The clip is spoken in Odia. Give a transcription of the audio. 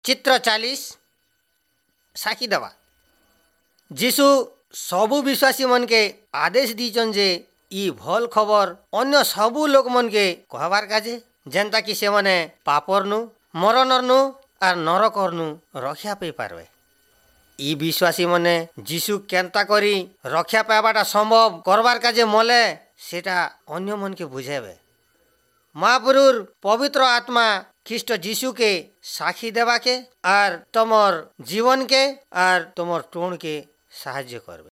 ଚିତ୍ର 40, ସାକ୍ଷୀ ଦେବା। ଯୀଶୁ ସବୁ ବିଶ୍ୱାସୀ ମନକେ ଆଦେଶ ଦେଇଛନ୍ ଯେ ଇ ଭଲ୍ ଖବର ଅନ୍ୟ ସବୁ ଲୋକମନକେ କହବାର୍ କାଜେ, ଯେନ୍ତା କି ସେମାନେ ପାପରନୁ, ମରଣରନୁ ଆର୍ ନରକରନୁ ରକ୍ଷା ପାଇ ପାରବେ। ଇ ବିଶ୍ୱାସୀ ମାନେ ଯୀଶୁ କେନ୍ତା କରି ରକ୍ଷା ପାଇବାଟା ସମ୍ଭବ କରବାର୍ କାଜେ ମଲେ, ସେଟା ଅନ୍ୟ ମନକେ ବୁଝାଇବେ। ମହାପୁରୁର ପବିତ୍ର ଆତ୍ମା ଖ୍ରୀଷ୍ଟ ଯୀଶୁକେ ସାକ୍ଷୀ ଦେବାକେ ଆର୍ ତମର ଜୀବନକେ ଆର୍ ତମର ଟୋଣକେ ସାହାଯ୍ୟ କରବେ।